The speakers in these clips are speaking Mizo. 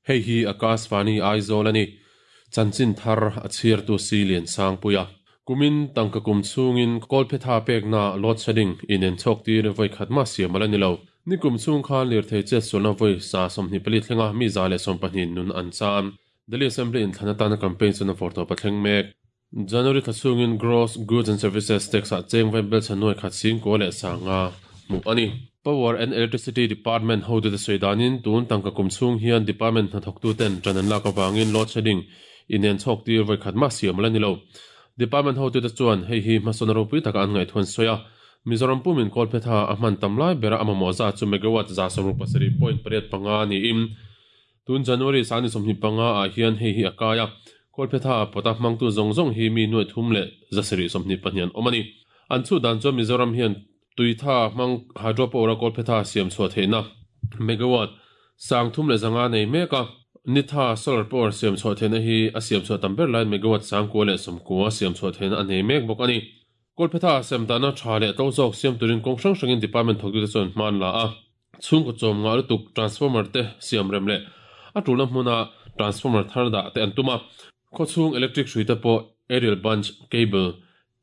Hei hi Akashvani Aizawl a ni. Chanchin thar a chhiartu si Liansangpuia. Kumin tangka kum chhungin kawlphetha pekna load shedding inen chhawk tir vawi khat mah siam a la ni lo. Nikum chhung khan lirthei chetsualna vawi 124 thlenga mi 120 nun an chan. Delhi Assembly inthlan atana campaign chuan a vawrtawp a thleng mek. January thla chhungin Gross Goods and Services Tax ah cheng vai bel chhan nuai khat singkua leh sanga hmuh a ni. Power and Electricity Department hotute sawi danin tun tangka kum chhung hian department hnathawktuten ṭan an lak avangin load shedding inen chhawk tir vawi khat mah siam a la ni lo. Department hotute chuan hei hi hmasawn ropui taka an ngaihtuah an sawi a, Mizoram pumin kawlphetha a hman tam lai bera a mamawh zat chu megawatt 167.85 niin Tun January 25 ah hian hei hi a kai a, Kawlphetha pawta hmangtu zawng zawng hi mi 3724 an awm a ni. An chhut dan chuan Mizoram hian tuitha hmang hydropower a Kawlphetha siam chhuah theihna megawatt 305 nei mek a, nitha solar power siam chhuah theihna hi a siam chhuah tam ber laiin megawatt 990 siam chhuah theihna a nei mek bawk a ni. Kawlphetha sem dahna tha leh tlo zawk siam turin kawng hrang hrangin department thawktute chuan hma an la a. Chhungkaw chawm ngah lutuk transformer te siam rem leh a tulna hmuna transformer thar dah te an tum a. Khawchhung electric hrui te pawh aerial bunch cable,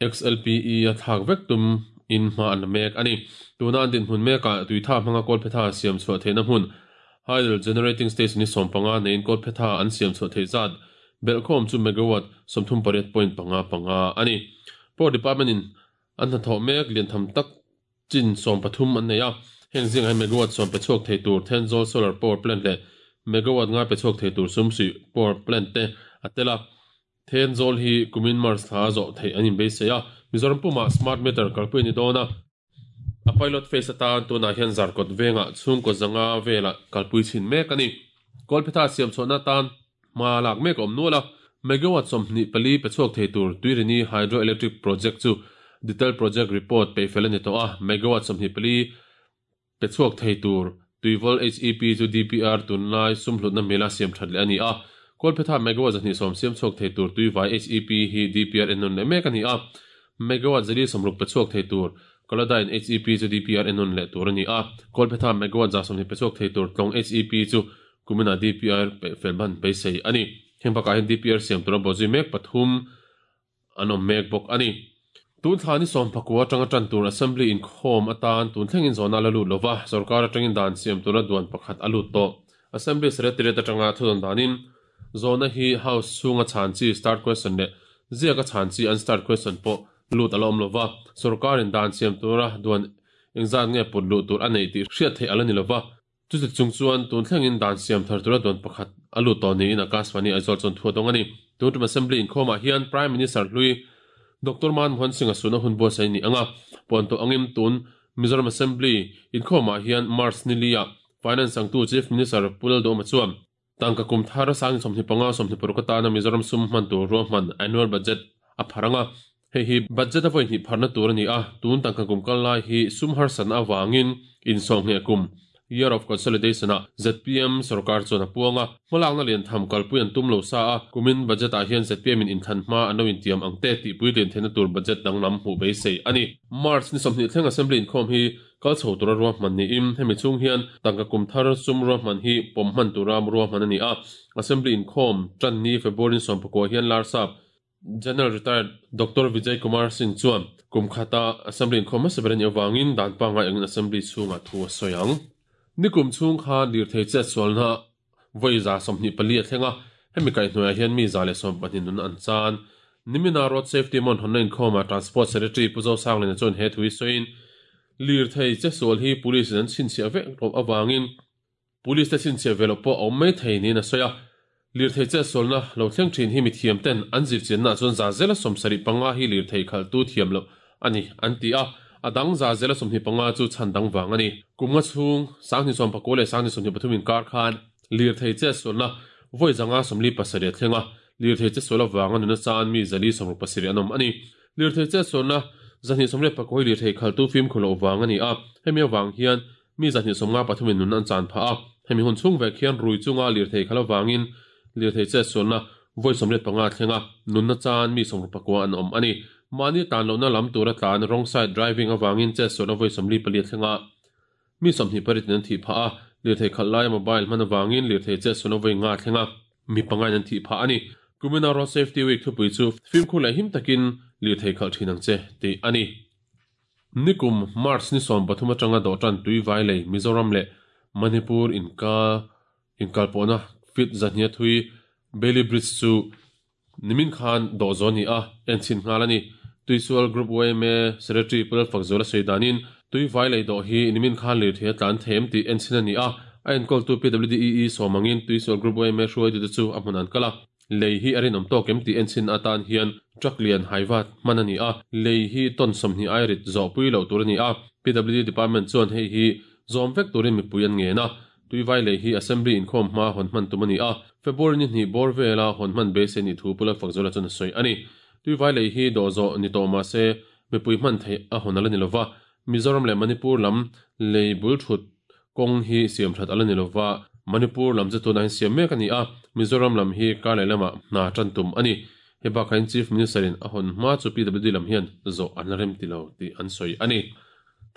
XLPE, a thlak vek tum in hma an la mek a ni. Tuna an dinhmun mekah tuitha hmanga kawlphetha siam chhuah theihna hmun hydel generating station hi 15 neiin kawlphetha an siam chhuah theih zat belhkhawm chu megawatt 38.55 a ni. Power Department in an hnathawh mek liantham tak Chin 13 an nei a, heng zingah hian megawatt 10 pe chhuak thei tur Thenzawl Solar Power Plant leh megawatt 5 pe chhuak thei tur Sumsuih Power Plant te a tel a. Thenzawl hi kumin March thla a zawh theih an inbeisei a, Mizoram pumah smart meter kalpui a ni dawn a. A pilot phase atan tunah hian Zarkawt vengah chhungkaw zanga velah kalpui chhin mek a ni. Kawlphetha siam chhuahna atan hma lak mek a awm nual a, megawatt 24 pe chhuak thei tur Tuirini Hydro Electric Project chu Detailed Project Report peih fel a ni tawh a, megawatt 24 pe chhuak thei tur Tuivawl HEP chu DPR tunlai sumhlutna mila siam that leh a ni a, Kawlphetha megawatt 210 siam chhuak thei tur Tuivai HEP hi DPR ennawn leh mek a ni a, megawatt 160 pe chhuak thei tur Kolodyne HEP chu DPR ennawn leh tur a ni a, Kawlphetha megawatt 120 pe chhuak thei tur Tlawng HEP chu Kuminah DPR peih fel hman beisei a ni. Heng bakah hian DPR siam tura bawhzui mek pathum an awm mek bawk a ni. Tun thla ni sawmpakua atanga tan tur Assembly inkhawm atan tun thlengin zawhna a la lut lova, sorkar atangin dan siam tura duan pakhat a lut tawh. Assembly Secretariat atanga thudawn danin zawhna hi House chhunga chhan chi start question leh ziaka chhan chi unstart question pawh lut a la awm lova, sorkarin dan siam tura duan engzat nge put luh tur a neih tih hriat theih a la ni lova. Chuti chung chuan tun thlengin dan siam thar tura duan pakhat a lut tawh niin Akashvani Aizawl chuan thu a dawng a ni. Tun tum Assembly inkhawmah hian Prime Minister hlui Doctor Manmohan Singh-a suhna hun buatsaih a ni ang a, puan tawh angin tun Mizoram Assembly inkhawmah hian March ni li-ah Finance sangtu Chief Minister Pu Lalduhoma chuan tangka kum thar 2025 26 atana Mizoram sum hman tur ruahman Annual Budget a phar ang a, hei hi budget a vawi hnih pharna tur a ni a, tun tangka kum kal lai hi sum harsatna avangin insawhngheh kum, Year of Consolidation, ah zpm sorkar chuan a puang a, hmalakna lian tham kalpui an tum lo sa a, kumin budget ah hian zpm in inthlan hma an lo intiam ang te tih puitlin theihna tur budget danglam hmuh beisei a ni. March ni 20 thleng Assembly inkhawm hi Kal chho tura ruahman niin hemi chhung hian tangka kum thar sum ruahman hi pawm hman tura ruahman a ni a. Assembly inkhawm tan ni February 14 hian Larsap General Retired Doctor Vijay Kumar Singh chuan kum khata Assembly inkhawm hmasa ber a nih avangin dan pangngai angin Assembly chhungah thu a sawi ang. Nikum chhung khan lirthei chetsualna vawi 24 a thleng a, hemi kaihhnuaiah hian mi 112 nun an chan. Nimina Road Safety Month hawnna inkhawmah Transport Secretary Pu Zosanglina chuan he thu hi sawiin, Lirthei chesual hi Police in an chhinchhiah vek loh avangin Police te chhinchhiah ve loh pawh a awm mai thei niin a sawi a. Lirthei chetsualna lo thleng thin hi mithiam ten an zirchiannaah chuan 75% hi lirthei khalhtu thiam loh a ni an ti a, a dang 25% chu chhan dang vang a ni. Kum nga chhung 2019 leh 2023 inkar khan lirthei chetsualna vawi 547 a thleng a, lirthei chetsual avanga nuna chan mi 467 an awm a ni. Lirthei chetsualna 224 hi lirthei khalhtu fimkhur loh vang a ni a, hemi avang hian mi 253 in nun an chan phah a, hemi hun chhung vek hian rui chunga lirthei khalh avangin lirthei chetsualna vawi 85 a thleng a, nunna chan mi 69 an awm a ni. Mahni tlan lohna lam tura tlan wrong side driving avangin chetsualna vawi 44 a thleng a, mi 28 in an thih phah a, lirthei khalh laia mobile hman avangin lirthei chetsualna vawi nga a thleng a, mi pangain an thih phah a ni. Kumina Road Safety Week thupui chu fimkhur leh him takin lirthei khalh thin ang che tih a ni. Nikum March ni 13 atanga dawhtan Tuivai lei Mizoram leh Manipur inka inkalpawhna feet 200 thui Bailey Bridge chu Nimin khan dawh zawn ni a enchhin nghal a ni. Tuisual Group yma Secretary Pu Lalfakzuala sawi danin, tui vai lei dawh hi nimin khan lirthei a tlan thei em tih enchhin a ni a, a enkawltu PWDEE sawm angin Tuisual Group yma hruaitute chu a hmun an kal a. Lei hi a rinawm tawk em tih enchhin atan hian truck lian haivat hman a ni a, lei hi ton 20 ai rit zawhpui loh tur a ni a. PWD Department chuan hei hi zawm vek turin mipui an ngen a, Tuivai lei hi Assembly inkhawm hma hawn hman tum a ni a, February ni hnih bawr vela hawn hman beisei nih thu Pu Lalfakzuala chuan a sawi a ni. Tuivai lei hi dawh zawh ni tawh mah se mipui hman theih a hawn a la ni lova, Mizoram leh Manipur lam lei bul thut kawng hi siam that a la ni lova, Manipur lam chu tunah hian siam mek a ni a, Mizoram lam hi kar leh lamah hna tan tum a ni. Hei bakah hian Chief Minister in a hawn hma chu PWD lam hian zawh an la rem ti lo tih an sawi a ni.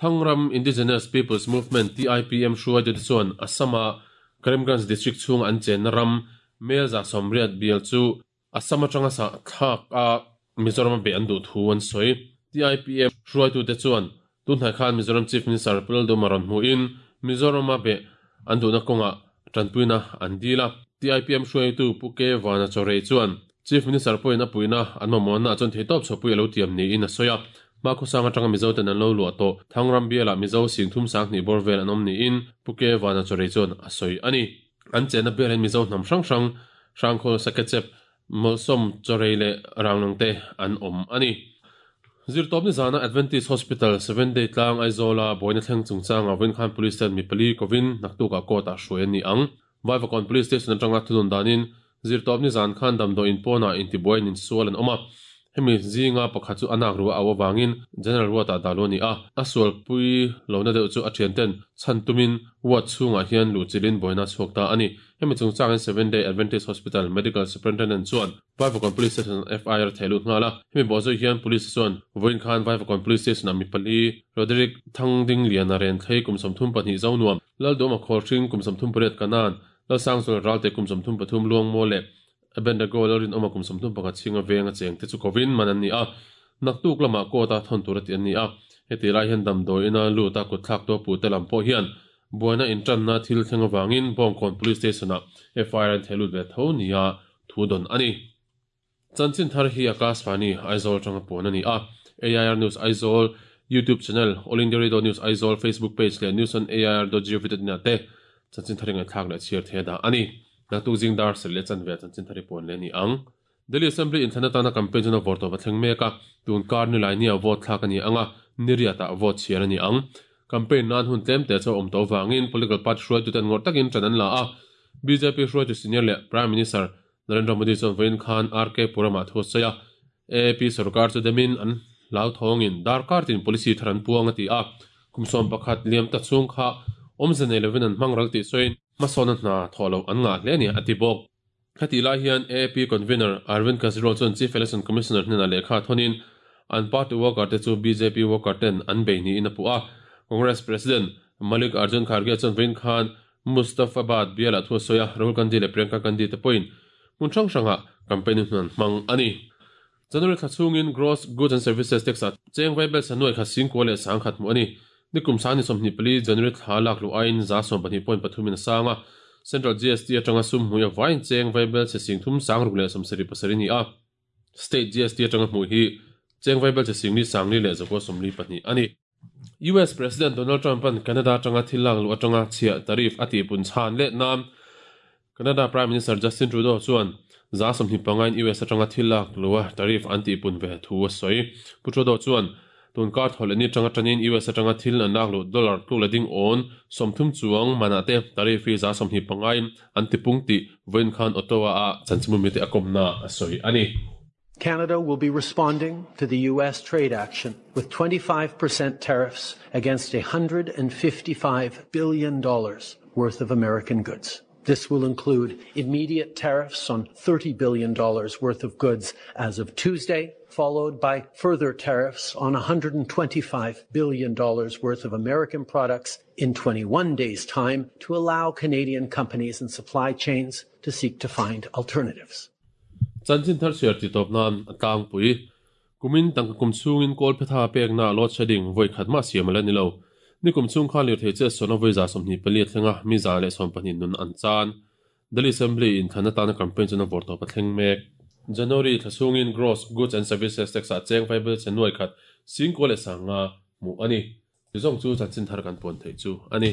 Thangram Indigenous Peoples Movement, TIPM, hruaitute chuan Assam-a Karimganj District chhunga an chenna ram Mel 180 bial chu Assam atanga sah thlak a Mizoram a beh an duh thu an sawi. TIPM hruaitute chuan tunhnai khan Mizoram Chief Minister Pu Lalduhma rawn hmuhin Mizoram a beh an duhna kawngah tanpuina an dil a. TIPM hruaitu Pu K Vana Chawrei chuan Chief Minister pawhin a puihna an mamawhna ah chuan theitawp chhuahpui a lo tiam niin a sawi a. Hmakhawsang atanga Mizo ten an lo luah tawh Thangram bialah Mizo 32 000 bawr vel an awm niin Pu K Vana Chawrei chuan a sawi a ni. An chenna bial hian Mizo hnam hrang hrang, Hrangkhawl, Sakechep, Mawlsawm, Chawrei leh Ranglong te an awm a ni. Zirtawpni zana Adventist Hospital, Seven Day tlang Aizawla buaina thleng chungchangah vawinkhan Police ten mi pali kovin naktukah court-ah hruai an ni ang. Vaivakawn Police Station atanga thunun danin zirtawpni zan khan damdawiin pawnah intibuaiin insual an awm a, hemi zinga pakhat chu a nak ruah a au avangin General Ward-ah dah luh a ni a, a sualpui lohna deuh chu a thianten chhan tumin ward chhungah hian luhchilhin buaina a chhuak ta a ni. Hemi chungchangin Seven Day Adventist Hospital Medical Superintendent chuan Vaivakawn Police Station FIR a theh lut nghal a, hemi bawhzawih hian Police chuan vawiin khan Vaivakawn Police Station-ah mi pali Roderick Thangdingliana Renthlei kum 32 Zonuam, Lalduama Khawlhring kum 38 Kanan, Lalsangzuala Ralte kum 33 Luangmaw leh Abednego Lalrinawma kum 31 chhinga venga cheng te chu kovin man an ni a, naktuk lamah court-a thawn tur a ti an ni a. Heti lai hian damdawi ina lut a kutthlak tu a puh te lam pawh hian buaina intanna thil thleng avangin Bawngkawn Police Station-ah FIR an theh lut ve tho nia thu dawn a ni. Chanchin thar hi Akashvani, Aizawl atanga puan a ni a. AIR News Aizawl YouTube channel, All India Radio News Aizawl Facebook page leh News on AIR dot gov dot in ah te chanchin thar i ngaihthlak leh chhiar thei a dah a ni. Naktuk zing dar serh leh chanve ah chanchin thar i puan leh a ni ang. Delhi Assembly inthlan atana campaign chuan a vawr tawp a thleng mek a, tun kar ni lai nia vote thlak a ni ang a, ni riat ah vote chhiar a ni ang. Campaign nan hun tlem te chu a awm tawh avangin political party hruaituten ngawrh takin ṭan an la a, bjp hruaitu senior leh Prime Minister Narendra Modi chuan vawiin khan RK Puram-ah thu a sawi a, AAP sorkar chu demin an hlauthawngin darkar tin policy thar an puang a ti a, kum 11 liam ta chhung kha awmze nei lovin an hmang ral tih sawiin hmasawnna hna thawh loh an ngah hle a ni a ti bawk. Khatih lai hian AAP convener Arvind Kejriwal chuan Chief Election Commissioner hnenah lehkha thawnin an party worker te chu bjp worker ten an bei niin a puh a, Congress President Mallikarjun Kharge chuan vawiin khan Mustafabad bialah thu a sawi a, Rahul Gandhi leh Priyanka Gandhi te pawhin hmun hrang hrangah campaign hun an hmang a ni. January thla chhungin Gross Goods and Services Tax ah cheng vaibel sanuai khat singkua leh sangkhat hmuh a ni. Nikum sang ni 24 January thla lak luh aiin 14 point pathum in a sang a, Central GST atanga sum hmui avaiin cheng vaibel chhe singthum sangruk leh 77 a ni a. State GST atanga hmuh hi cheng vaibel chhe singli sangli leh zakua 42 a ni. US President Donald Trump-a'n Canada atanga thil lak luh atanga chhiah tariff a tihpun chhan let nan Canada Prime Minister Justin Trudeau chuan 25% in US atanga thil lak luha tariff an tihpun ve thu a sawi. Pu Trudeau chuan tun kar thaw leh ni atanga tanin US atanga thil an lak luh dollar tluk leh ding awn 30 chuang manah te tariff hi 25% in an tipung tih vawiin khan Ottawa-a chanchinbu mite a kawmna a sawi a ni. Canada will be responding to the US trade action with 25% tariffs against $155 billion worth of American goods. This will include immediate tariffs on $30 billion worth of goods as of Tuesday, followed by further tariffs on $125 billion worth of American products in 21 days' time to allow Canadian companies and supply chains to seek to find alternatives. Chanchin thar chhiar ti tawp nan a tlangpui. Kumin tangka kum chhungin kawlphetha pekna load shedding vawi khat mah siam a la ni lo. Nikum chhung khan lirthei che sawna vawi 24 a thleng a, mi 120 nun an chan. Delhi Assembly in thlan atana campaign chuan a vawr tawp a thleng mek. January thla chhungin Gross Goods and Services Tax ah cheng vaibel che nuai khat singkaw leh sanga hmuh a ni. Ti zawng chu chanchin thar kan puan theih chu a ni.